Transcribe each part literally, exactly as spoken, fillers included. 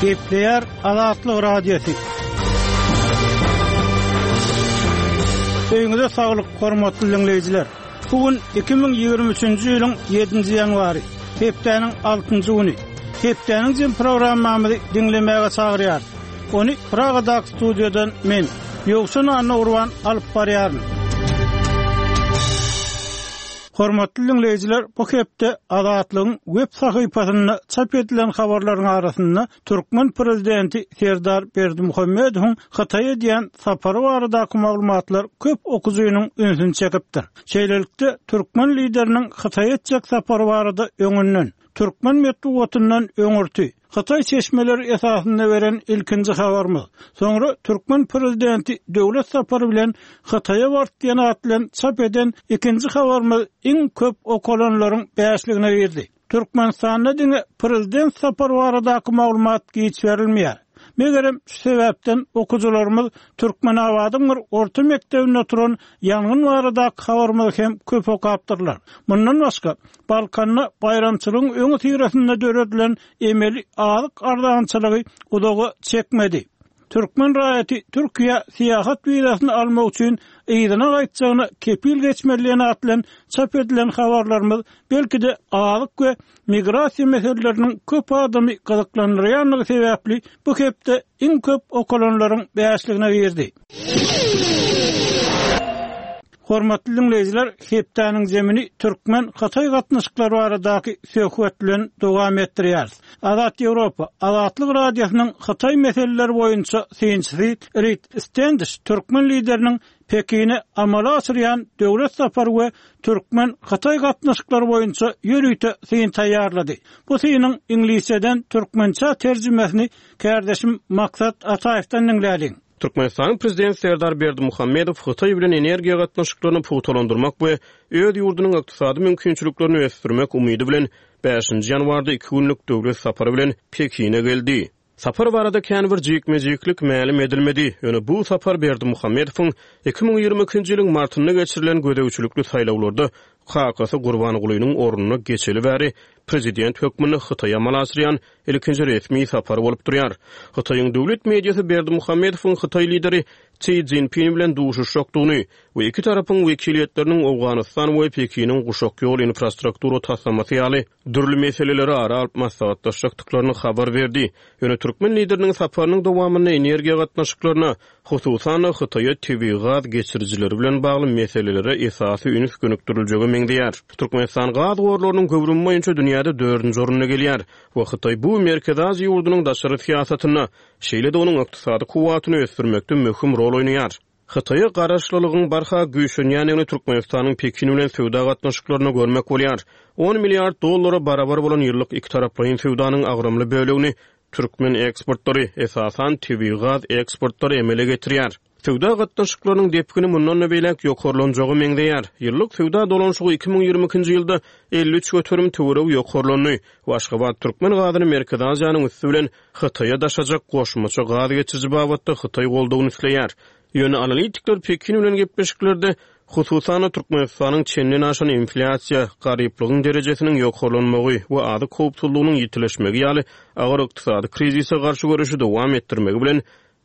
Gepleýär Azatlyk Radiosy. Öýüňize saglyk, hormatly diňleýjiler. Bu gün iki müň ýigrimi üçünji ýylyň ýedinji ýanwary, hepdäniň altynjy güni. Hepdäniň jem programmamyzy diňlemäge çagyrýarys. Ony Pragadaky studiýadan men, Ýowşan Annagurban alyp barýaryn. Hormatly diňleýjiler, bu hepde Azatlygyň web sahypasynda çap edilen habarlaryň arasynda türkmen prezidenti Serdar Berdimuhamedowyň Hytaýa edýän sapary baradaky maglumatlar köp okyjynyň ünsüni çekipdir. Şeýlelikde, türkmen lideriniň Hytaýa etjek sapary barada öňünden, türkmen metbugatyndan öňürti, hytaý çeşmeleri esasynda beren ilkinji habarymyz, soňra türkmen prezidenti döwlet sapary bilen Hytaýa bardy diýen at bilen çap eden ikinji habarymyz iň köp okalanlaryň bäşligine girdi. Türkmenistanda diňe prezident sapary baradaky maglumat giç berilmeýär. Megerem şu sebäpden okyjylarymyz Türkmenabadyň bir orta mekdebinde turan ýangyn baradaky habarymyzy hem köp okapdyrlar. Mundan başga, Balkanda baýramçylygyň öňüsyrasynda döredilen emeli azyk arzançylygy uzaga çekmedi. Türkmen raýaty Türkiýä syýahat wizasyny almak üçin yzyna gaýtjagyna kepil geçmeli diýen at bilen çap edilen habarlarymyz belki-de azyk we migrasiýa meseleleriniň köp adamy gyzyklandyrýandygy sebäpli bu hepde iň köp okalanlaryň bäşligine girdi. Hormatly diňleýjiler, hepdäniň zemini türkmen-hytaý gatnaşyklary baradaky söhbet bilen dowam etdirýäris. Azat Ýewropa, Azatlyk Radiosynyň Hytaý meseleleri boýunça synçysy Rid Stendiş türkmen lideriniň Pekine amala aşyrýan döwlet sapary we türkmen-hytaý gatnaşyklary boýunça ýörite syn taýýarlady. Bu synyň iňlisçeden türkmençä terjimesini kärdeşim Maksat Ataýewden diňläliň. Türkmenistanyň Prezidenti Serdar Berdimuhamedow Hytaý bilen energiýa gatnaşyklaryny pugtalandyrmak we öz ýurdunyň ykdysady mümkinçiliklerini ösdürmek umydy bilen bäşinji ýanwarda iki günlük döwlet sapary bilen Pekine geldi. Sapar barada kän bir jikme-jiklik mälim edilmedi, ýöne bu sapar Berdimuhamedowyň iki müň ýigrimi ikinji ýylyň martynda geçirilen gözegçilikli saýlawlarda kakasy Gurbangulynyň ornuna geçeli bäri prezident hökmünde Hytaýa amala aşyrýan ilkinji resmi sapary bolup durýar. Hytaýyň döwlet mediasy Berdimuhamedowyň hytaý lideri Si Szinpin bilen duşuşjakdygyny we iki tarapyň wekiliýetleriniň Owganystan we Pekiniň guşak ýol infrastruktura taslamasy ýaly dürli meseleleri ara alyp maslahatlaşjakdyklaryny habar berdi. Ýöne türkmen lideriniň saparynyň dowamynda energiýa gatnaşyklaryna, hususan-da Hytaýa tebigy gaz geçirijileri bilen bagly meselelere esasy üns gönükdiriljege meňzeýär. Türkmenistan gaz gorlarynyň göwrümi boýunça dünýäde dördünji orunda gelýär we Hytaý bu Merkezi Aziýa ýurdunyň daşary syýasatynda, şeýle-de onuň ykdysady kuwwatyny ösdürmekde möhüm rol oýnaýar. Hytaýa garaşlylygyň barha güýçlenýändigini Türkmenistanyň Pekin bilen söwda gatnaşyklarynda görmek bolýar. On milliard dollara barabar bolan ýyllyk ikitaraplaýyn söwdanyň agramly bölegini türkmen eksportlary, esasan, tebigy gaz eksportlary emele getirýär. Söwda gatnaşyklarynyň depgini mundan-da beýläk ýokarlanjaga meňzeýär. Ýyllyk söwda dolanyşygy iki müň ýigrimi ikinji ýylda elli üç göterim töweregi ýokarlandy we Aşgabat türkmen gazyny Merkezi Aziýanyň üsti bilen Hytaýa daşajak goşmaça gaz geçiriji babatda Hytaý goldawyny isleýär. Ýöne analitikler Pekin bilen gepleşiklerde, hususan-da, Türkmenistanyň çenden aşan inflýasiýa, garyplygyň derejesiniň ýokarlanmagy we azyk howpsuzlygynyň ýitileşmegi ýaly agyr ykdysady krizise garşy göreşi dowam etdirmegi bilen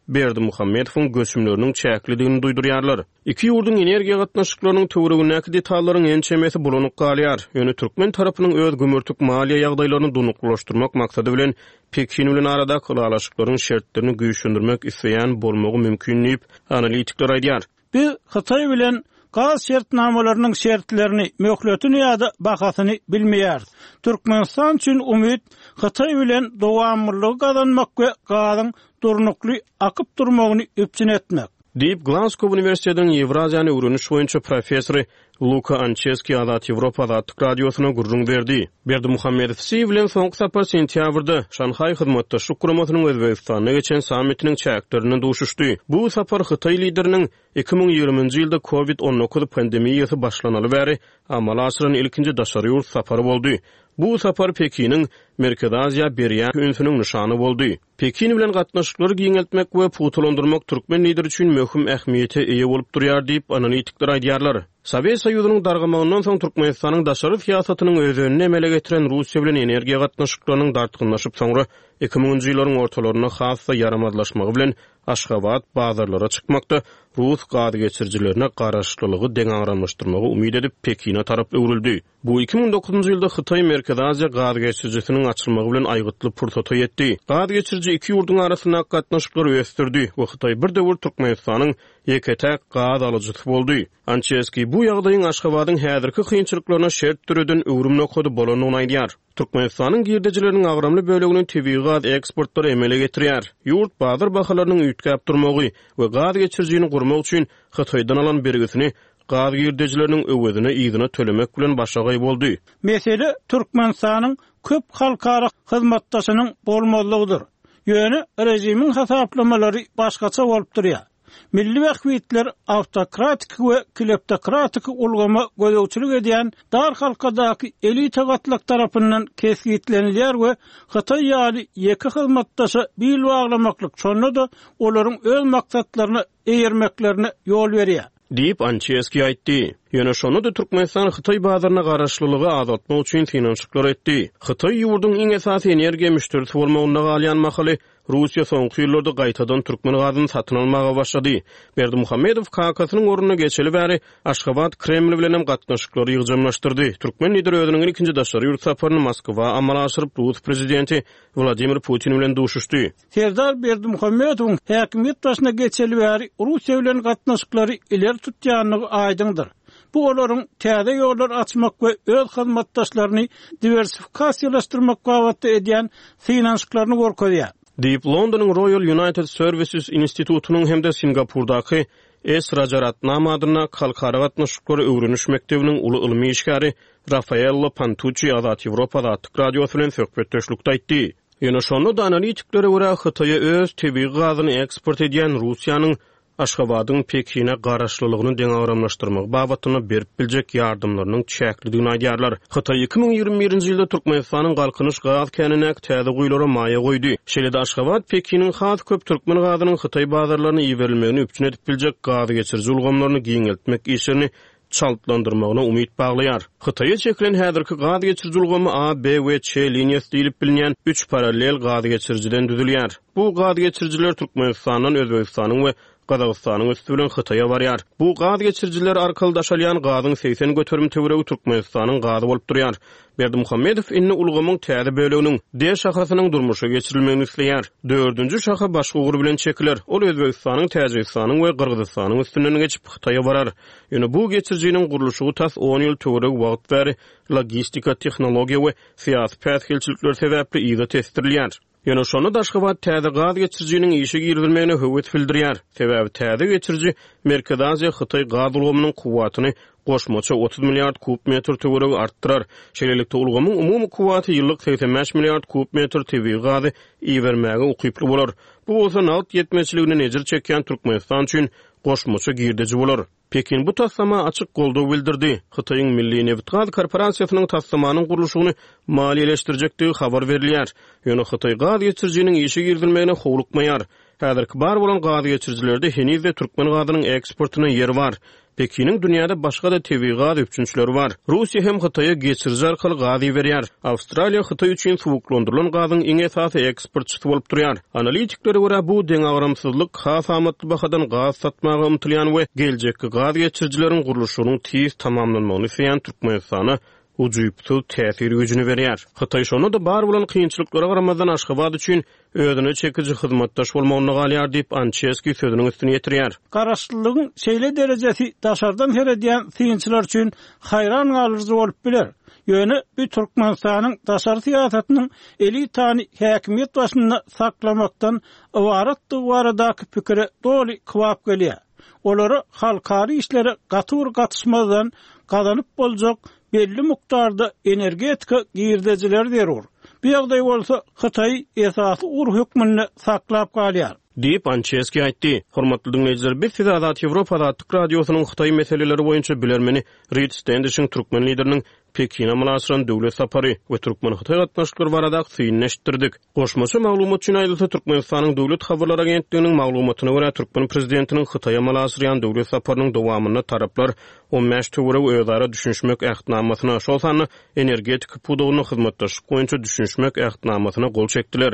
Berdimuhamedowyň göçümleriniň çäklidigini duýdurýarlar. Iki ýurduň energiýa gatnaşyklarynyň töweregindäki detallaryň ençemesi bulanyk galýar, ýöne türkmen tarapynyň öz gümürtik maliýe ýagdaýlaryny durnuklylaşdyrmak maksady bilen Pekin bilen aradaky ylalaşyklaryň şertlerini güýçlendirmek isleýän bolmagy mümkin diýip, analitikler aýdýar. Biz Hytaý bilen gaz şertnamalarynyň şertlerini, möhletini ýa-da bahasyny bilmeýäris. Türkmenistan üçin umyt Hytaý bilen dowamlylygy gazanmak we gazyň durnukly akyp durmagyny üpjün etmek. Diýip, Glasgow uniwersitetiniň Ýewraziýany öwreniş boýunça professory Luka Ançeski Azat Ýewropa Azatlyk Radiosyna gürrüň berdi. Berdimuhamedow Si bilen soňky sapar sentýabrda, Şanhaý Hyzmatdaşlyk Guramasynyň Özbegistanda geçen sammitiniň çäklerinde duşuşdy. Bu sapar hytaý lideriniň iki müň ýigriminji ýylda Covid on dokuz pandemiýasy başlanaly bäri amala aşyran ilkinji daşary ýurt sapary boldy. Bu sapar Pekiniň Merkezi Aziýa berýän ünsüniň nyşany boldy. Pekin bilen gatnaşyklary giňeltmek we pugtalandyrmak türkmen lideri üçin möhüm ähmiýete eýe bolup durýar diýip, analitikler aýdýarlar. Sowet Soýuzynyň dargamagyndan soň Türkmenistanyň daşary syýasatynyň özenini emele getiren Russiýa bilen energiýa gatnaşyklarynyň dartgynlaşyp, soňra iki müňünji ýyllaryň ortalarynda has-da ýaramazlaşmagy bilen Aşgabat bazarlara çykmakda rus gazgeçirijilerine garaşlylygy deňagramlaşdyrmagy umyt edip, Pekine tarap öwrüldi. Bu iki müň dokuzynjy ýylda Hytaý-Merkezi Aziýa gazgeçirijisiniň açylmagy bilen aýgytly pursata ýetdi. Gazgeçiriji iki ýurduň arasyndaky gatnaşyklary ösdürdi we Hytaý bir döwür Türkmenistanyň ýeke-täk gaz alyjysy boldy. Ançeskiý bu ýagdaýyň Aşgabadyň häzirki kynçylyklaryna şert döreden öwrüm nokady bolandygyny aýdýar. Türkmenistanyň girdejileriniň agramly bölegini tebigy gaz eksportlary emele getirýär. Ýurt bazar bahalarynyň üýtgäp durmagy we gaz geçirijini gurmak üçin Hytaýdan alan bergisini gaz girdejileriniň öwezine yzyna tölemek bilen başagaý boldy. Mesele Türkmenistanyň köp halkara hyzmatdaşynyň bolmazlygydyr. Ýöne režimiň hasaplamalary başgaça bolup durýar. Milli bähbitler awtokratik we kleptokratik ulgama gözegçilik edýän dar halkadaky elita gatlak tarapyndan kesgitlenilýär we Hytaý ýaly ýeke hyzmatdaşa bil baglamaklyk şonda-da olaryň öz maksatlaryna eýermeklerine ýol berýär. Diýip, Ançeskiý aýtdy. Ýöne şonda-da Türkmenistan Hytaý bazaryna garaşlylygy azaltmak üçin synanyşyklar etdi. Hytaý ýurduň iň esasy energiýa müşderisi bolmagynda galýan mahaly, Russiýa soňky ýyllarda gaýtadan türkmen gazyny satyn almaga başlady. Berdimuhamedow kakasynyň ornuna geçeli bäri Aşgabat Kreml bilenem gatnaşyklary ýygjamlaşdyrdy. Türkmen lideri özüniň ilkinji daşary ýurt saparyny Moskwa amala aşyryp, rus prezidenti Wladimir Putin bilen duşuşdy. Serdar Berdimuhamedowyň häkimiýet başyna geçeli bäri Russiýa bilen gatnaşyklary ileri tutýandygy aýdyňdyr. Bu olaryň täze ýollar açmak we öz hyzmatdaşlaryny diwersifikasiýalaşdyrmak babatda edýän synanyşyklaryny görkezýär. Diýip, Londonyň Royal United Services institutynyň hem-de Singapurdaky S. Rajaratnam adyndaky Halkara gatnaşyklary öwreniş mekdebiniň uly ylmy işgäri Rafaello Pantuççi Azat Ýewropa Azatlyk Radiosy bilen söhbetdeşlikde aýtdy. Ýöne şonda-da analitiklere görä, Hytaýa öz tebigy gazyny eksport edýän Russiýanyň Aşgabadyň Pekine garaşlylygyny deňagramlaşdyrmagy babatynda berip biljek ýardamlarynyň çäklidigini aýdýarlar. Hytaý iki müň ýigrimi birinji ýylda Türkmenistanyň Galkynyş gaz känindäki täze guýulara maýa goýdy. Şeýle-de Aşgabat Pekiniň has köp türkmen gazynyň Hytaý bazarlaryna iberilmegini üpjün edip biljek gaz geçiriji ulgamlaryny giňeltmek işlerini çaltlandyrmagyna umyt baglaýar. Hytaýa çekilen häzirki gaz geçiriji ulgamy A, B we Ç liniýasy diýlip bilinýän üç parallel gaz geçirijiden düzülýär. Bu gaz geçirijiler Türkmenistandan Özbegistanyň we Gazagystanyň üsti bilen Hytaýa barýar. Bu gaz geçirijiler arkaly daşalýan gazyň segsen göterim töweregi Türkmenistanyň gazy bolup durýar. Berdimuhamedow indi ulgamyň täze böleginiň, D şahasynyň durmuşa geçirilmegini isleýär. Dördünji şaha başga ugur bilen çekiler. Ol Özbegistanyň, Täjigistanyň we Gyrgyzystanyň üstünden geçip, Hytaýa barar. Ýöne bu geçirijiniň gurluşygy tas on ýyl töweregi wagt bäri logistika, tehnologiýa we syýasy päsgelçilikler sebäpli yza tesdirilýär. Ýöne şonda-da Aşgabat täze gaz geçirijiniň işe girizilmegine höwes bildirýär. Sebäbi täze geçiriji Merkezi Aziýa-Hytaý gaz ulgamynyň kuwwatyny goşmaça otuz milliard kub metr töweregi artdyrar. Şeýlelikde, ulgamyň umumy kuwwaty ýyllyk segsen bäş milliard kub metr tebigy gazy ibermäge ukyply bolar. Bu bolsa nagt ýetmezçiliginden ejir çekýän Türkmenistan üçin goşmaça girdeji bolar. Pekin bu taslama açyk goldaw bildirdi. Hytaýyň Milli nebitgaz korporasiýasynyň taslamanyň gurluşygyny maliýeleşdirjekdigi habar berilýär. Ýöne Hytaý gaz geçirijiniň işe girizilmegine howlukmaýar. Häzirki bar bolan gaz geçirijilerde heniz-de türkmen gazynyň eksportyna ýer bar. Pekiniň dünýäde başga-da tebigy gaz üpjünçileri bar. Russiýa hem Hytaýa geçiriji arkaly gaz iberýär. Awstraliýa Hytaý üçin suwuklandyrylan gazyň iň esasy eksportçysy bolup durýar. Analitiklere görä, bu deňagramsyzlyk has amatly bahadan gaz satmaga ymtylýan we geljekki gaz geçirijileriň gurluşygynyň tiz tamamlanmagyny isleýän Türkmenistana ujypsyz täsir güýjüni berýär. Hytaý şonda-da bar bolan kynçylyklara garamazdan Aşgabat üçin özüne çekiji hyzmatdaş bolmagynda galýar diýip, Ançeskiý sözüniň üstüni ýetirýär. Garaşlylygyň şeýle derejesi daşardan seredýän synçylar üçin haýran galyjy bolup biler. Ýöne bu Türkmenistanyň daşary syýasatynyň elitany häkimiýet başynda saklamakdan ybaratdygy baradaky pikire doly kybap gelýär. Olara halkara işlere gaty bir gatyşmazdan gazanyp boljak belli mukdarda energetika girdejileri zerur. Bu ýagdaý bolsa Hytaý esasy ugur hökmünde saklap galýar. Diýip, Ançeskiý aýtdy. Hormatly diňleýjiler, biz size Azat Ýewropa Azatlyk Radiosynyň Hytaý meseleleri boýunça bilermeni Rid Stendişiň türkmen lideriniň Pekine amala aşyran döwlet sapary we türkmen-hytaý gatnaşyklary baradaky synyny eşitdirdik. Goşmaça maglumat üçin aýdylsa, Türkmenistanyň Döwlet habarlar agentliginiň maglumatyna görä, türkmen prezidentiniň Hytaýa amala aşyrýan döwlet saparynyň dowamynda taraplar on bäş töweregi özara düşünişmek ähtnamasyna, şol sanda energetika pudagynda hyzmatdaşlyk boýunça düşünişmek ähtnamasyna gol çekdiler.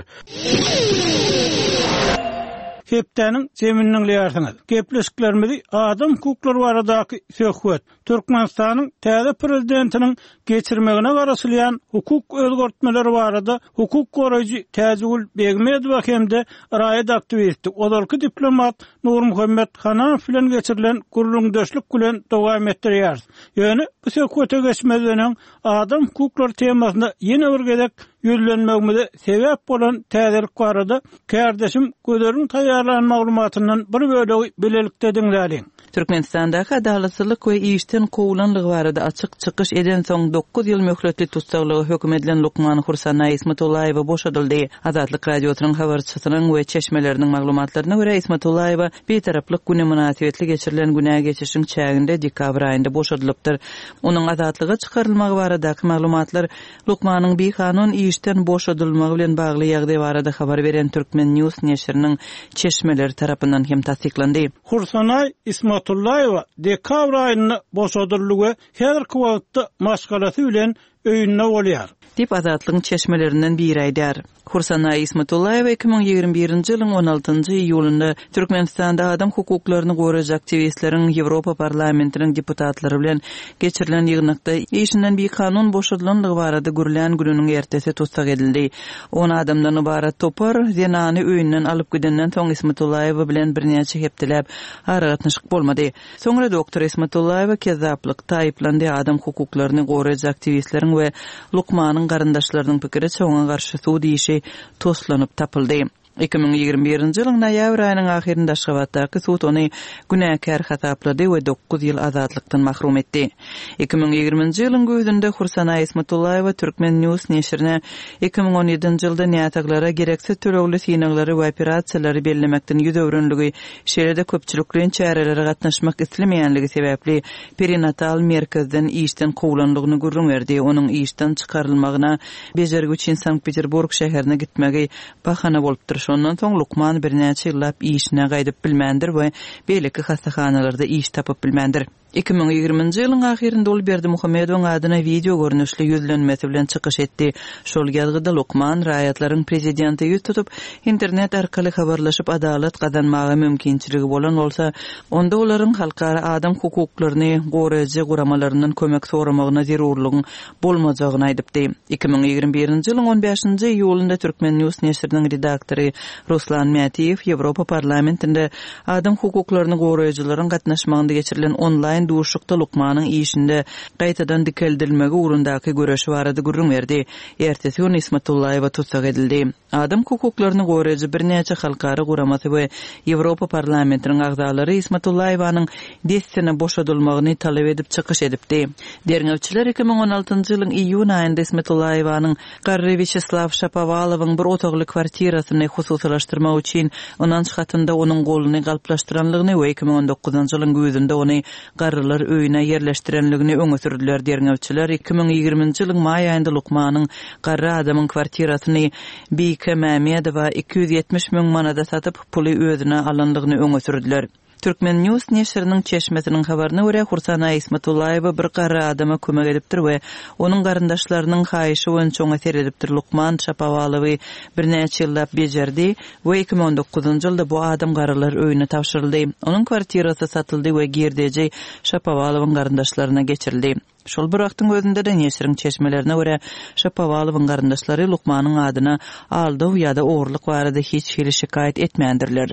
Hepdäniň jemini diňleýärsiňiz. Gepleşiklerimizi adam hukuklary baradaky söhbet, Türkmenistanyň täze prezidentiniň geçirmegine garaşylýan hukuk özgertmeleri barada hukuk goraýjy Täjigül Begmedowa hem-de raýat aktiwisti, ozalky diplomat Nurmuhammet Hananow bilen geçirilen gürrüňdeşlik bilen dowam etdirýäris. Ýöne bu söhbete geçmezden öň adam hukuklary temasyna ýene bir gezek ýüzlenmegimize sebäp bolan täzelik barada kärdeşim Gözeliň taýýarlan maglumatyndan bir bölegi bilelikde diňläliň. Türkmenistandaky adalatsyzlyk we işden kowulanlygy barada açyk çykyş eden soň dokuz ýyl möhletli tussaglyga höküm edilen lukman Hursanaý Ismatullaýewa boşadyldy. Azatlyk Radiosynyň habarçysynyň we çeşmeleriniň maglumatlaryna görä, Ismatullaýewa Bitaraplyk güni mynasybetli geçirilen günä geçişiň çäginde dekabr aýynda boşadylypdyr. Onuň azatlyga çykarylmagy baradaky maglumatlar lukmanyň bikanun işden boşadylmagy bilen bagly ýagdaý barada habar beren Turkmen News neşiriniň çeşmeleri tarapyndan hem tassyklandy. Hursanaý Ismatullaýewa dekabr aýynda boşadyldy we häzirki wagtda maşgalasy bilen öýünde bolýar. Diýip Azatlygyň çeşmelerinden biri aýdar. Hursanaý Ismatullaýewa iki müň ýigrimi birinji ýylyň on altynjy iýulynda Türkmenistanda adam hukuklaryny goraýjy aktiwistleriň Ýewropa parlamentiniň deputatlary bilen geçirilen ýygnakda işinden bikanun boşadylandygy barada gürlän gününiň ertesi tussag edildi. On adamdan ybarat topar zenany öýünden alyp gidenden soň Ismatullaýewa bilen birnäçe hepdeläp aragatnaşyk bolmady. Soňra doktor Ismatullaýewa kezzaplykda aýyplandy, adam hukuklaryny goraýjy aktiwistleriň we lukmanyň garyndaşlarynyň pikiriçe oňa garşy sud işi toslanyp tapyldy. Iki müň ýigrimi birinji ýylyň noýabr aýynyň ahyrynda Aşgabatdaky sud ony günäkär hasaplady we dokuz ýyl azatlykdan mahrum etdi. Iki müň ýigriminji ýylyň güýzünde Hursanaý Ismatullaýewa Turkmen News neşirine iki müň on ýedinji ýylda näsaglara gereksiz tölegli synaglary we operasiýalary bellemekden ýüz öwrenligi, şeýle-de köpçülikleýin çärelere gatnaşmak islemeýänligi sebäpli perinatal merkezden işden kowlanlygyny gürrüň berdi. Onuň işden çykarylmagyna bejergi üçin Sankt-Peterburg şäherine gitmegi bahana bolupdyr. Şondan soň lukman birnäçe ýyllap işine gaýdyp bilmändir we beýleki hassahanalarda iş tapyp bilmändir. Iki müň ýigriminji ýylyň ahyrynda ol Berdimuhamedowyň adyna wideo görnüşli ýüzlenmesi bilen çykyş etdi. Şol ýazgyda lukman raýatlaryň prezidenti ýüz tutup, internet arkaly habarlaşyp adalat gazanmaga mümkinçiligi bolan bolsa, onda olaryň halkara adam hukuklaryny goraýjy guramalaryndan kömek soramagyna zerurlygyň bolmajagyny aýdypdy. Iki müň ýigrimi birinji ýylyň on bäşinji iýulynda Turkmen News neşiriniň redaktory Ruslan Mätiýew Ýewropa parlamentinde adam hukuklaryny goraýjylaryň gatnaşmagynda geçirilen onlaýn duşuşykda lukmanyň işinde gaýtadan dikeldilmegi ugrundaky göreşi barada gürrüň berdi. Ertesi gün Ismatullaýewa tussag edildi. Adam hukuklaryny goraýjy birnäçe halkara guramasy we Ýewropa parlamentiniň agzalary Ismatullaýewanyň dessine boşadylmagyny talap edip çykyş edipdi. Derňewçiler iki müň on altynjy ýylyň iýun aýynda Ismatullaýewanyň garry Wýaçeslaw Şapowalowyň bir otagly kwartirasyny hususylaşdyrmak üçin ynanç hatynda onuň goluny galplaşdyranlygyny we iki müň on dokuzynjy ýylyň güýzünde ony garrylar öýüne ýerleşdirenligini öňe sürdüler. Derňewçiler iki müň ýigriminji ýylyň maý aýynda lukmanyň garry adamyň kwartirasyny Bike Mämedowa iki ýüz ýetmiş müň manada satyp, puly özüne alanlygyny öňe sürdüler. Turkmen News neşiriniň çeşmesiniň habaryna görä, Hursanaý Ismatullaýewa bir garry adama kömek edipdir we onuň garyndaşlarynyň haýyşy boýunça oňa seredipdir. Lukman Şapowalowy birnäçe ýyllap bejerdi we iki müň on dokuzynjy ýylda bu adam garrylar öýüne tabşyryldy. Onuň kwartirasy satyldy we girdeji Şapowalowyň garyndaşlaryna geçirildi. Şol bir wagtyň özünde-de neşiriň çeşmelerine görä, Şapowalowyň garyndaşlary lukmanyň adyna aldaw ýa-da ogurlyk barada hiç hili şikaýat etmändirler.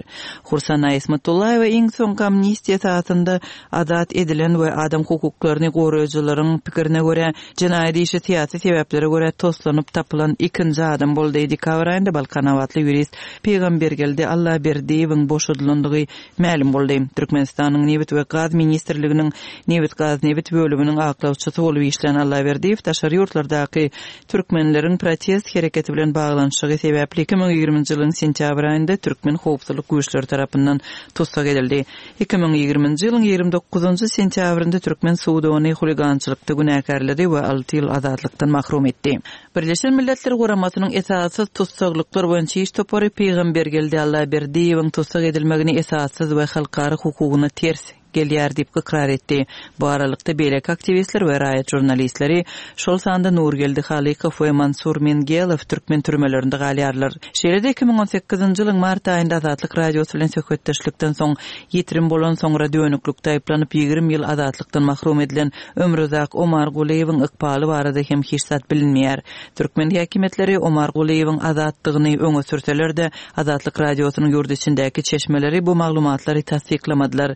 Hursanaý Ismatullaýewa iň soňky amnistiýa esasynda azat edilen we adam hukuklaryny goraýjylaryň pikirine görä, jenaýat işi syýasy sebäplere görä toslanyp tapylan ikinji adam boldy. Dekabr aýynda Balkanabatly ýurist Pygambergeldi Allaberdiýewiň boşadylandygy mälim boldy. Türkmenistanyň Nebit we Gaz ministrliginiň Nebit Gaz Nebit bölüminiň aklawçysy maslahatçysy bolup işlän Allaberdiýew daşary ýurtlardaky türkmenleriň protest hereketi bilen baglanyşygy sebäpli iki müň ýigriminji ýylyň sentýabr aýynda türkmen howpsuzlyk güýçleri tarapyndan tussag edildi. Iki müň ýigriminji ýylyň ýigrimi dokuzynjy sentýabrynda türkmen sudy ony huligançylykda günäkärledi we alty ýyl azatlykdan mahrum etdi. Birleşen Milletler Guramasynyň esassyz tussaglyklar boýunça iş topary Pygambergeldi Allaberdiýewiň tussag edilmegini esassyz we halkara hukugyna ters gelýär diýip ykrar etdi. Bu aralykda beýleki aktiwistler we raýat žurnalistleri, şol sanda Nurgeldi Halykow we Mansur Mengelow türkmen türmelerinde galýarlar. Şeýle-de iki müň on sekizinji ýylyň mart aýynda Azatlyk Radiosy bilen söhbetdeşlikden soň ýitirim bolan soňra dönüklikde aýyplanyp ýigrimi ýyl azatlykdan mahrum edilen Ömruzak Omargulyýewiň ykbaly barada hem hiç zat bilinmeýär. Türkmen häkimiýetleri Omargulyýewiň azatdygyny öňe sürseler-de, Azatlyk Radiosynyň ýurt içindäki çeşmeleri bu maglumatlary tassyklamadylar.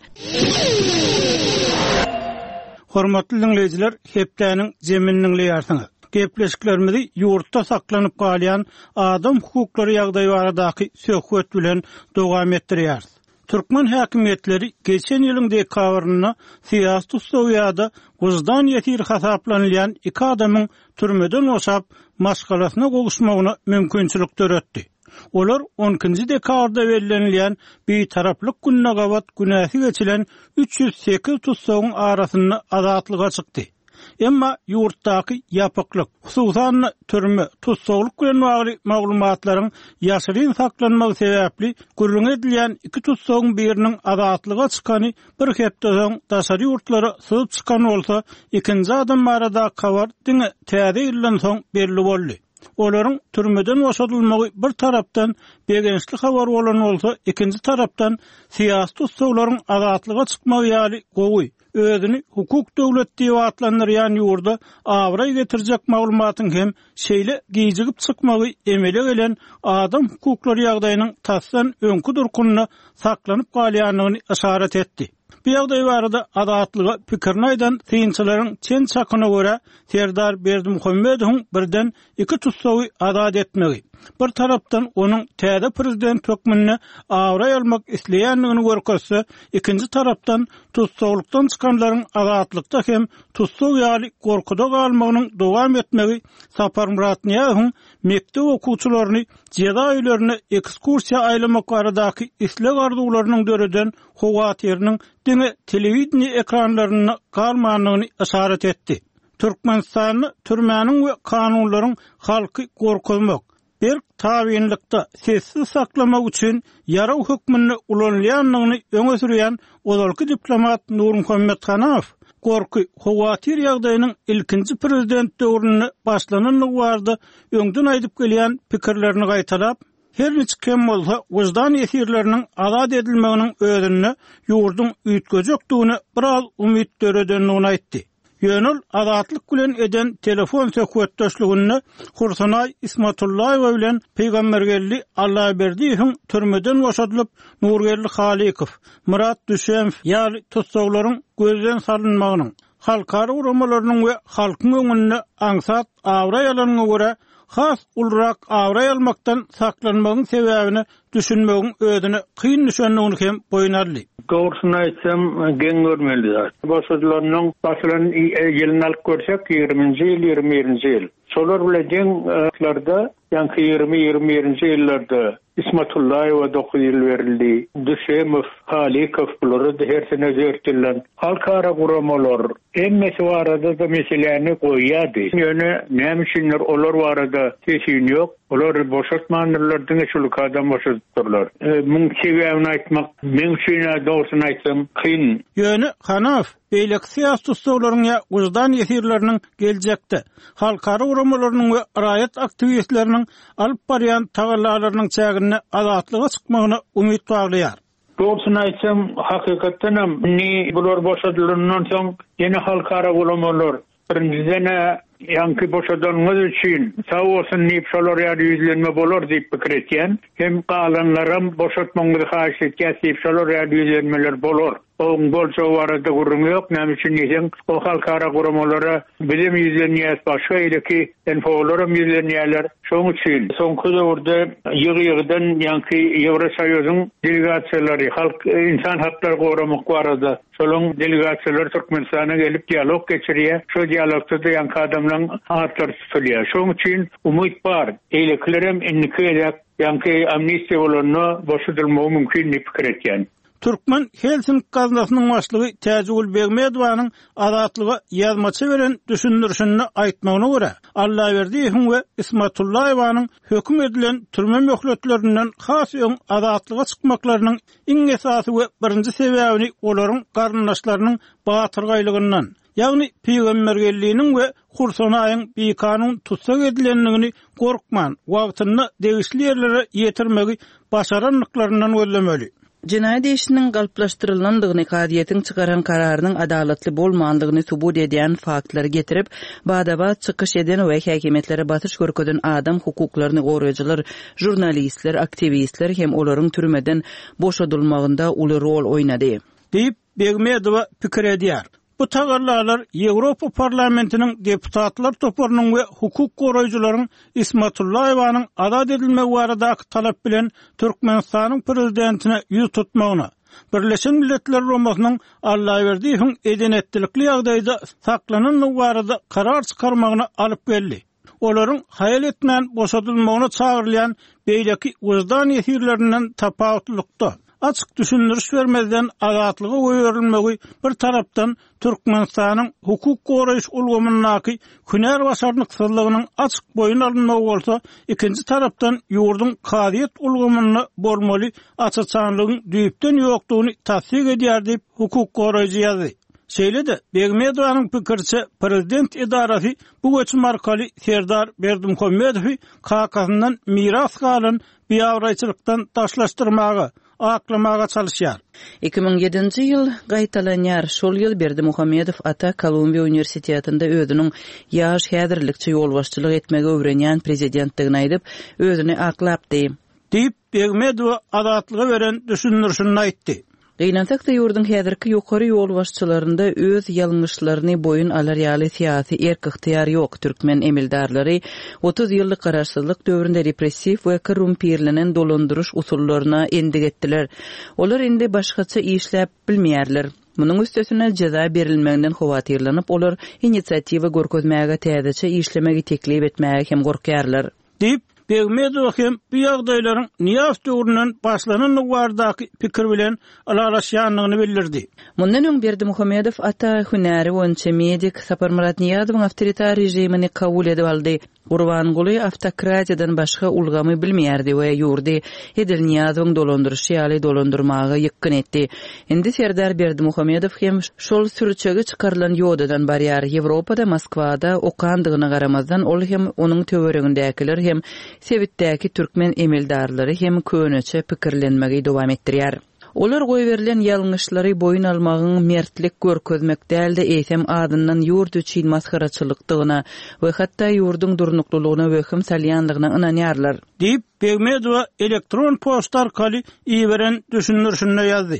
Hormatly dinleýjiler, hepdäniň zemini dinleýärsiňiz. Gepleşiklerimizi ýurtda saklanyp galýan adam hukuklary ýagdaýy baradaky söhbet bilen dowam etdirýäris. Türkmen häkimiýetleri geçen ýylyň dekabrynda syýasy tussag ýa-da wyždan ýesiri hasaplanylýan iki adamyň türmeden boşap maşgalasyna gowuşmagyna mümkinçilik döretdi. Olar on ikinji dekabrda bellenilýän bitaraplyk gününe gabat günäsi geçilen üç ýüz sekiz tussagyň arasynda azatlyga çykdy. Emma ýurtdaky ýapyklyk, hususan türme, tussaglyk bilen bagly maglumatlaryň ýaşyryn saklanmagy sebäpli gürrüň edilýän iki tussagyň biriniň azatlyga çykany bir hepde soň daşary ýurtlara syzyp çykan bolsa, ikinji adam barada habar diňe täze ýyldan soň belli boldy. Olaryň türmeden boşadylmagy bir tarapdan begençli habar bolan bolsa, ikinji tarapdan syýasy tussaglaryň azatlyga çykmagy ýaly gowy, özüni hukuk döwlet diýip atlandyrýan ýurda abraý getirjek maglumatyň hem şeýle gijigip çykmagy emele gelen adam hukuklary ýagdaýynyň tasdan öňkü durkunda saklanyp galýandygyny işaret etdi. Bu ýagdaý barada azatlyga pikirini aýdan synçylaryň çen çakyna görä Serdar Berdimuhamedowyň birden iki tussagy azat etmegi, bir tarapdan onuň täze prezident hökmünde abraý almak isleýändigini görkezse, ikinji tarapdan tussaglykdan çykanlaryň azatlykda hem tussag ýaly gorkuda galmagynyň dowam etmegi Saparmyrat Nyýazowyň mekdep okuwçylaryny jeza öýlerine ekskursiýa aýlamak baradaky isleg arzuwlarynyň döreden howatyrynyň diňe telewideniýe ekranlarynda galmandygyny işaret etdi. Türkmenistanda türmäniň we kanunlaryň halky gorkuzmak, berk tabynlykda sessiz saklamak üçin ýaraw hökmünde ulanylýandygyny öňe sürýän ozalky diplomat Nurmuhammet Hanaw gorky howatyr ýagdaýynyň ilkinji prezident döwründe başlanandygy barada öňden aýdyp gelýän pikirlerini gaýtalap, her niçik hem bolsa wyždan esirleriniň azat edilmeginiň özünde ýurduň üýtgejekdigine biraz umyt döredendigini aýtdy. Ýöne ol azatlyk bilen eden telefon söhbetdeşliginde Hursanaý Ismatullaýewa bilen Pygambergeldi Allaberdiýewiň türmeden boşadylyp Nurgeldi Halykow, Murat Düşemow ýaly tussaglaryň gözden salynmagynyň, halkara guramalarynyň we halkyň öňünde aňsat abraý alanyna görä has ulurak abraý almakdan saklanmagyň sebäbini düşünmegiň özüne kyn düşendigini hem boýun aldy. Doğrusunu aýtsam, geň görmeli zat. Boşadylannyň basylan ýylyny alyp görsek, ýigriminji ýyl, ýigrimi birinji ýyl. Şolar bilen deň, ýaňky ýigrimi, ýigrimi birinji ýyllarda Ismatullaýewa dokuz ýyl berildi. Düşemow, Halykow bulara da her sene dört ýyldan. Halkara guramalar hemmesi barada da meseläni goýýardy. Ýöne näme üçinler olar barada sesin ýok. Olar boşatmandyrlar, diňe şul adam boşadypdyrlar. E, muň sebäbini aýtmak meň üçin dogrusyny aýtsam kyn. Ýöne Hanaw beýleki syýasy tussaglaryň ýa wyždan ýesirleriniň geljekde halkara guramalarynyň we raýat aktiwistleriniň alyp barýan tagallalarynyň çäginde azatlyga çykmagyna umyt baglaýar. Dogrusyny aýtsam, hakykatdan hem indi bular boşadylandan soň ýene halkara guramalar birinjiden ýaňky boşadanyňyz üçin sag bolsun diýip şolar ýaly ýüzlenme bolar diýip pikir etýän, hem galanlaram boşatmagyňyzy haýyş etýär diýip şolar ýaly ýüzlenmeler bolar. Oň boljagy barada gürrüň ýok. Näme üçin diýseň, o halkara guramalara bizem ýüzlenýäs, başga eýleki N P O'laram ýüzlenýärler. Şonuň üçin soňky döwürde ýygy-ýygydan ýaňky Ýewrosoýuzyň delegasiýalary halk insan haklary goramak barada şolaň delegasiýalary Türkmenistana gelip dialog geçirýär. Şo dialogda da ýaňky adamlaryň atlary tutulýar. Şonuň üçin umyt bar. Eýlekilerem indiki gezek ýaňky amnistiýa bolanda boşadylmagy mümkin diýip pikir etýän. Türkmen Helsinki gaznasynyň başlygy Täjigül Begmedowanyň Azatlyga ýazmaça beren düşündirişinde aýtmagyna görä, Allaberdiýewiň we Ismatullaýewanyň höküm edilen türme möhletlerinden has öň azatlyga çykmaklarynyň iň esasy we birinji sebäbini olaryň garyndaşlarynyň batyrgaýlygyndan, ýagny Pygambergeldiniň we Hursanaýyň bikanun tutsak edilendigini gorkman, wagtynda degişli ýerlere ýetirmegi başarandyklaryndan gözlemeli. Jenaýat işiniň galplaşdyrylandygyny, kazyýetiň çykaran kararynyň adalatly bolmandygyny subut edýän faktlary getirip, badabat çykyş eden we häkimiýetlere basyş görkezen adam hukuklaryny goraýjylar, žurnalistler, aktiwistler hem olaryň türmeden boşadylmagynda uly rol oýnady. Diýip Begmedowa pikir edýär. Bu tagallalar Ýewropa Parlamentiniň deputatlar toparynyň we hukuk goraýjylaryň Ismatullaýewanyň azat edilmegi baradaky talap bilen Türkmenistanyň prezidentine ýüz tutmagyna, Birleşen Milletler Guramasynyň Allaberdiýewiň edenetlilikli ýagdaýda saklanandygy barada karar çykarmagyna alyp geldi. Olaryň haýal etmän boşadylmagyna çagyrylýan beýleki wyždan ýesirlerinden tapawutlylykda açyk düşündiriş bermezden azatlyga goýberilmegi bir tarapdan Türkmenistanyň hukuk goraýyş ulgamyndaky hünär başarnyksyzlygynyň açyk boýun alynmagy bolsa, ikinji tarapdan ýurduň kazyýet ulgamynda bolmaly açaçanlygyň düýpden ýokdugyny tassyk edýär diýip hukuk goraýjy ýazdy. Şeýle-de Begmedowanyň pikirçe prezident edarasy bu göçüm arkaly Serdar Berdimuhamedowy kakasyndan miras galan biabraýçylykdan daşlaşdyrmaga, aklamaga çalışýar. Iki müň ýedinji ýyl gaýtalanýar. Şol ýyl Berdimuhamedow ata Kolumbiýa uniwersitetinde özüniň ýaş häzirlikçe ýolbaşçylyk etmegi öwrenýän prezidentdigini aýdyp, özüni aklapdy. Diýip Begmedowa azatlyga beren düşündirişini aýtdy. Gynansak-da ýurduň häzirki ýokary ýolbaşçylarynda öz ýalňyşlaryny boýun alar ýaly syýasy erk-ygtyýar ýok. Türkmen emeldarlary otuz ýyllyk garaşsyzlyk döwründe repressiw we korrumpirlenen dolandyryş usullaryna endik etdiler. Olar indi başgaça işläp bilmeýärler. Munuň üstesine jeza berilmeginden howatyrlanyp, olar inisiatiwa görkezmäge, täzeçe işlemegi teklip etmäge hem gorkýarlar. Diýip Begmedowa hem bu ýagdaýlaryň Nyýazow döwründen başlanandygy baradaky pikir bilen ylalaşýandygyny bildirdi. Mundan öň Berdimuhamedow ata hünäri boýunça medik Saparmyrat Nyýazowyň awtoritar režimini kabul edip aldy. Gurbanguly awtokratiýadan başga ulgamy bilmeýärdi we ýurdy edil Nyýazowyň dolandyryşy ýaly dolandyrmaga ýykgyn etdi. Indi Serdar Berdimuhamedow hem şol sürçegi çykarylan ýodadan barýar. Ýewropada, Moskwada okandygyna garamazdan ol hem onuň töweregindäkiler hem sebitdäki türkmen emeldarlary hem köneçe pikirlenmegi dowam etdirýär. Olar goýberilen ýalňyşlary boýun almagyň mertlik görkezmek däl-de eýsem adyndan ýurt üçin masgaraçylykdygyna we hatda ýurduň durnuklylygyna wehim salýandygyna ynanýarlar. Diýip Begmedowa elektron poçta arkaly iberen düşündirişinde ýazdy.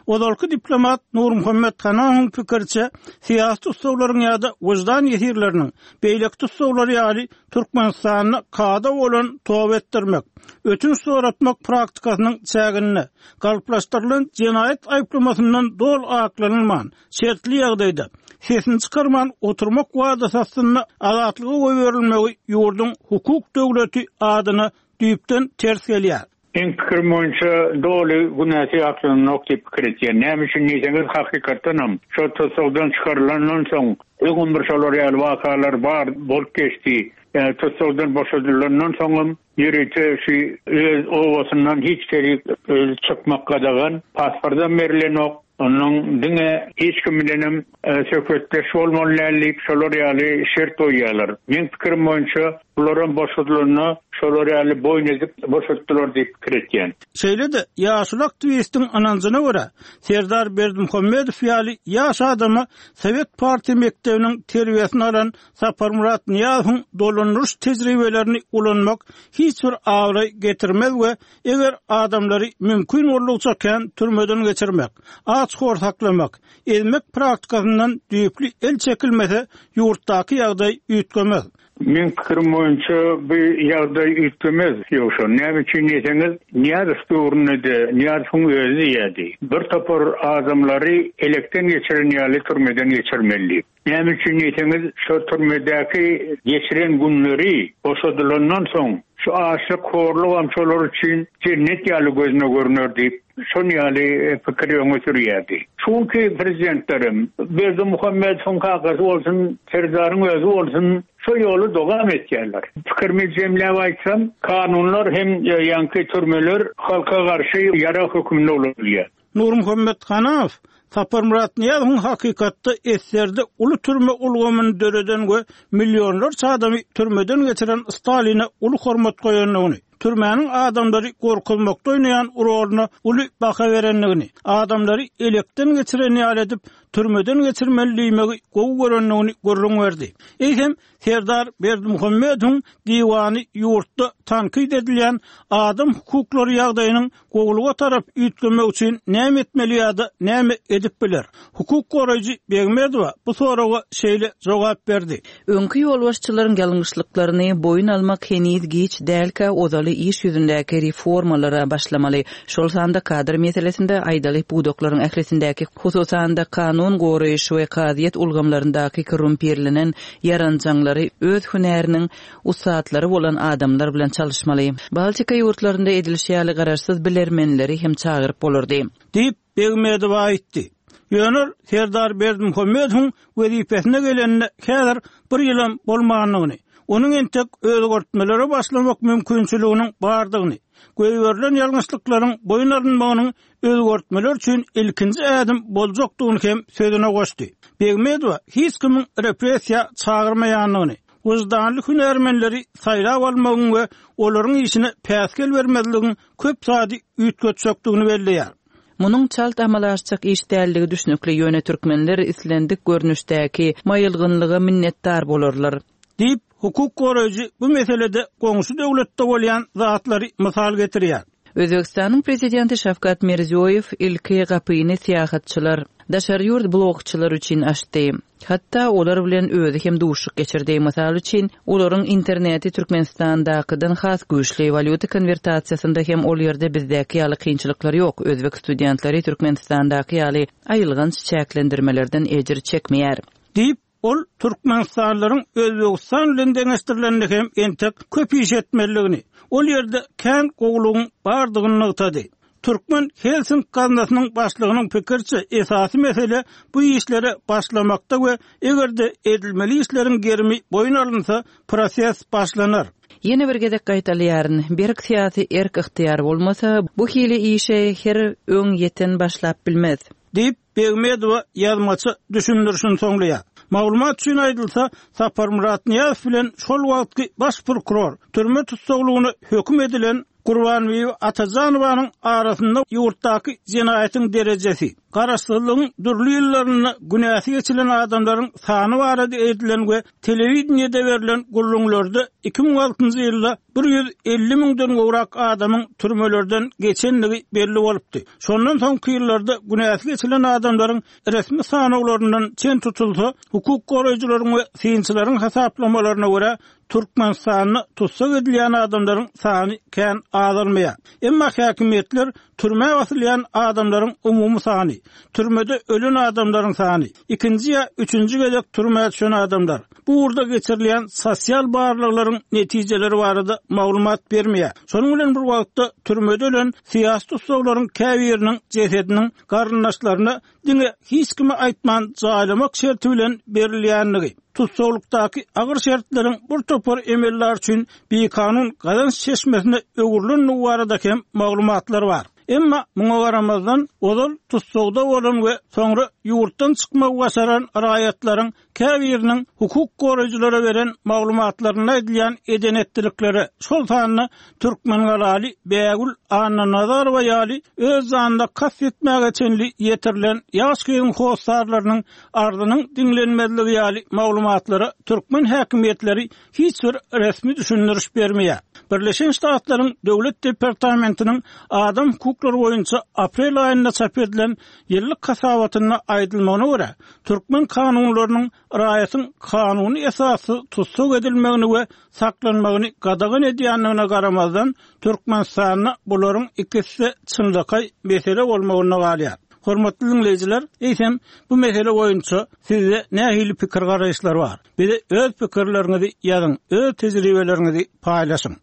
Ozalky diplomat Nurmuhammet Hanawyň pikirçe syýasy tussaglaryň ýa-da wyždan ýesirleriniň beýleki tussaglar ýaly Türkmenistanda kada bolan toba etdirmek, ötünç soratmak praktikasynyň çäginde galplaşdyrylan jenaýat aýyplamasyndan dol aklanylman, şertli ýagdaýda sesini çykarman oturmak wadasy astynda azatlyga goýberilmegi ýurduň hukuk döwleti adyna düýpden ters gelýär. Meň pikirim boýunça doly günäsi aklanok diýip pikir etýän. Näme üçin diýseňiz, hakykatdanam şo tussagdan çykarylandan soň öňüm bir şolar ýaly wakalar bar bolup geçdi. Ýa tussagdan boşadylandan soňam ýörite şu öz obasyndan hiç terik öz çykmak gadagan, pasportdan berilenok. Onuň diňe hiç kim bilenem, e, söhbetdeş bolmaly däl diýip şolar ýaly şert goýýarlar. Meň pikirim boýunça Bularam boşadylanda şolar ýaly boýun edip boşatdylar diýip pikir etýän. Şeýle-de ýaşuly aktiwistiň ynanjyna görä, Serdar Berdimuhamedow ýaly ýaş adama Sowet partiýa mekdebiniň terbiýesini alan Saparmyrat Nyýazowyň dolandyryş tejribelerini ulanmak hiç bir abraý getirmez we eger adamlary mümkin boldugyça kän türmeden geçirmek, aç-hor saklamak, ezmek praktikasyndan düýpli el çekilmese, ýurtdaky ýagdaý üýtgemez. Meň pikirim boýunça bu ýagdaý üýtgemez. Ýogsa näme üçin diýseňiz, Nyýazow döwründe-de Nyýazowyň özi diýýärdi. Bir topar adamlary elekden geçiren ýaly türmeden geçirmeli diýip. Näme üçin diýseňiz, şo türmedäki geçiren günleri boşadylandan soň şu açlyk, horlugam şolar üçin jennet ýaly gözüne görner diýip, şon ýaly pikiri öňe sürýärdi. Çünki prezidentlerim Berdimuhamedowyň kakasy bolsun, Serdaryň özi bolsun, şo ýoly dowam etýärler. Pikirimi jemläp aýtsam, kanunlar hem ýaňky türmeler halka garşy ýarag hökmünde ulanylýar. Nurmuhammet Hanaw Saparmyrat Nyýazowyň hakykatda eserde uly türme ulgamyny döreden we millionlarça adamy türmeden geçiren Staline uly hormat goýandygyny, türmäniň adamlary gorkuzmakda oýnaýan roluna uly baha berendigini, adamlary elekden geçiren ýaly edip türmeden geçirmeli diýmegi gowy görendigini gürrüň berdi. Eýsem Serdar Berdimuhamedowyň diwany ýurtda tankyt edilýän adam hukuklary ýagdaýynyň gowulyga tarap üýtgemek üçin näme etmeli ýa-da näme edip biler? Hukuk goraýjy Begmedowa bu soraga şeýle jogap berdi. Öňki ýolbaşçylaryň ýalňyşlyklaryny boýun almak heniz giç dälkä ozaly iş ýüzündäki reformalara başlamaly. Şol sanda kadr meselesinde aýdaly pudaklaryň ählisindäki, hususan-da kanun goraýyş we kazyýet ulgamlaryndaky korrumpirlenen ýaranjaňlary öz hünäriniň ussatlary bolan adamlar bilen çalyşmaly. Baltika ýurtlarynda edilişi ýaly garaşsyz bilermenleri hem çagyryp bolardy. Diýip Begmedowa aýtdy. Ýöne Serdar Berdimuhamedowyň wezipesine gelenine häzir bir ýylam bolmandygyny, onuň entek özgertmelere başlamak mümkinçiliginiň bardygyny, goýberilen ýalňyşlyklaryň boýun alynmagynyň özgertmeler üçin ilkinji ädim boljakdygyny hem sözüne goşdy. Begmedowa hiç kimiň repressiýa çagyrmaýandygyny, wyždanly hünärmenleri saýlap almagyň we olaryň işine päsgel bermezligiň köp zady üýtgetjekdigini belleýär. Munuň çalt amala aşjak iş däldigi düşnükli, ýöne türkmenler islendik görnüşdäki maýylgynlyga minnetdar bolarlar. Diýip, hukuk goraýjy bu meselede goňşy döwletde bolýan zatlary mysal getirýär. Özbekistanyň prezidenti Şawkat Mirziýoýew ilki gapyny syýahatçylar, daşary ýurt blogçylar üçin açdy. Hatda olar bilen özi hem duşuk geçirdi. Mysal üçin, olaryň interneti Türkmenistandakydan has güýçli, walýuta konwertasiýasynda hem ol ýerde bizdäki ýaly kynçylyklar ýok. Özbek studentleri Türkmenistandaky ýaly aýylganç çäklendirmelerden ejir çekmeýär. Diýip, ol Türkmenistanlylaryň Özbegistan bilen deňeşdirileninde hem entek köp iş etmelidigini, ol ýerde kän gowulygyň bardygyny nygtady. Türkmen Helsink gaznasynyň başlygynyň pikiriçe esasy mesele bu işlere başlamakda we eger-de edilmeli işleriň gerimi boýun alynsa, proses başlanar. Ýene bir gezek gaýtalyaryn, berk syýasy erk ygtyýar bolmasa, bu hili işe her öň ýeten başlap bilmez. Diýip Begmedowa ýazmaça düşündirişini soňlaýar. Maglumat üçin aýdylsa, Saparmyrat Nyýazow bilen şol wagtky baş prokuror türme tussaglygyna höküm edilen Gurbanbibi Atajanowanyň arasynda ýurtdaky jenaýatyň derejesi, garaşsyzlygyň dürli ýyllarynda günäsi geçilen adamlaryň sany barada edilen we telewideniýede berlen gürrüňlerde iki müň altynjy ýylda bir ýüz elli müňden gowrak adamyň türmelerden geçendigi belli bolupdy. Şondan soňky ýyllarda günäsi geçilen adamlaryň resmi sanawlaryndan çen tutulsa, hukuk goraýjylaryň we synçylaryň hasaplamalaryna görä Türkmenistanda tussag edilýän adamlaryň sany kän azalmaýar. Emma häkimiýetler türmä basylýan adamlaryň umumy sany, türmede ölen adamlaryň sany, ikinji ýa üçünji gezek türmä düşen adamlar, bu ugurda geçirilýän sosial barlaglaryň netijeleri barada maglumat bermeýär. Şonuň bilen bir wagtda türmede ölen syýasy tussaglaryň käbiriniň jesediniň garyndaşlaryna diňe hiç kime aýtman jaýlamak şerti bilen berilýändigi, tussaglykdaky agyr şertleriň bir topar emeller üçin bikanun gazanç çeşmesine öwrülendigi barada hem maglumatlar bar. Emma muňa garamazdan ozal tussagda bolan we soňra ýurtdan çykmagy başaran raýatlaryň käbiriniň hukuk goraýjylara beren maglumatlarynda aýdylýan eden-etdiliklere, şol sanda türkmengalaly Bägül Annanazarowa ýaly öz janyna kast etmäge çenli ýetirilen ýaş gyzyň hossarlarynyň arzynyň diňlenmezligi ýaly maglumatlara türkmen häkimiýetleri hiç bir resmi düşündiriş bermeýär. Birleşen Ştatlaryň Döwlet departamentiniň adam hukuklary boýunça aprel aýynda çap edilen ýyllyk hasabatynda aýdylmagyna görä, türkmen kanunlarynyň raýatyň kanuny esassyz tussag edilmegini we saklanmagyny gadagan edýändigine garamazdan, Türkmenistanda bularyň ikisi-de çynlakaý mesele bolmagynda galýar. Hormatly diňleýjiler, eýsem, bu mesele boýunça sizde nähili pikir-garaýyşlar bar? Bize öz pikirleriňizi ýazyň, öz tejribeleriňizi paýlaşyň.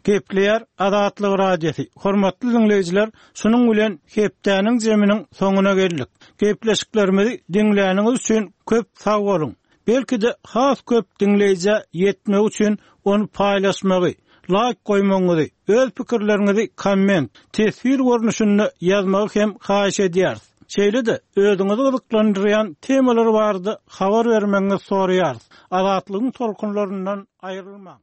Gepleýär Azatlyk Radiosy. Hormatly diňleýjiler, şunuň bilen hepdäniň jeminiň soňuna geldik. Gepleşiklerimizi diňläniňiz üçin köp sag boluň. Belki-de has köp diňleýjä ýetmegi üçin ony paýlaşmagy, laýk goýmagyňyzy, öz pikirleriňizi komment, teswir görnüşinde ýazmagy hem haýyş edýäris. Şeýle-de özüňizi gyzyklandyrýan temalar barada habar bermegiňizi soraýarys. Azatlygyň tolkunlaryndan aýrylmaň.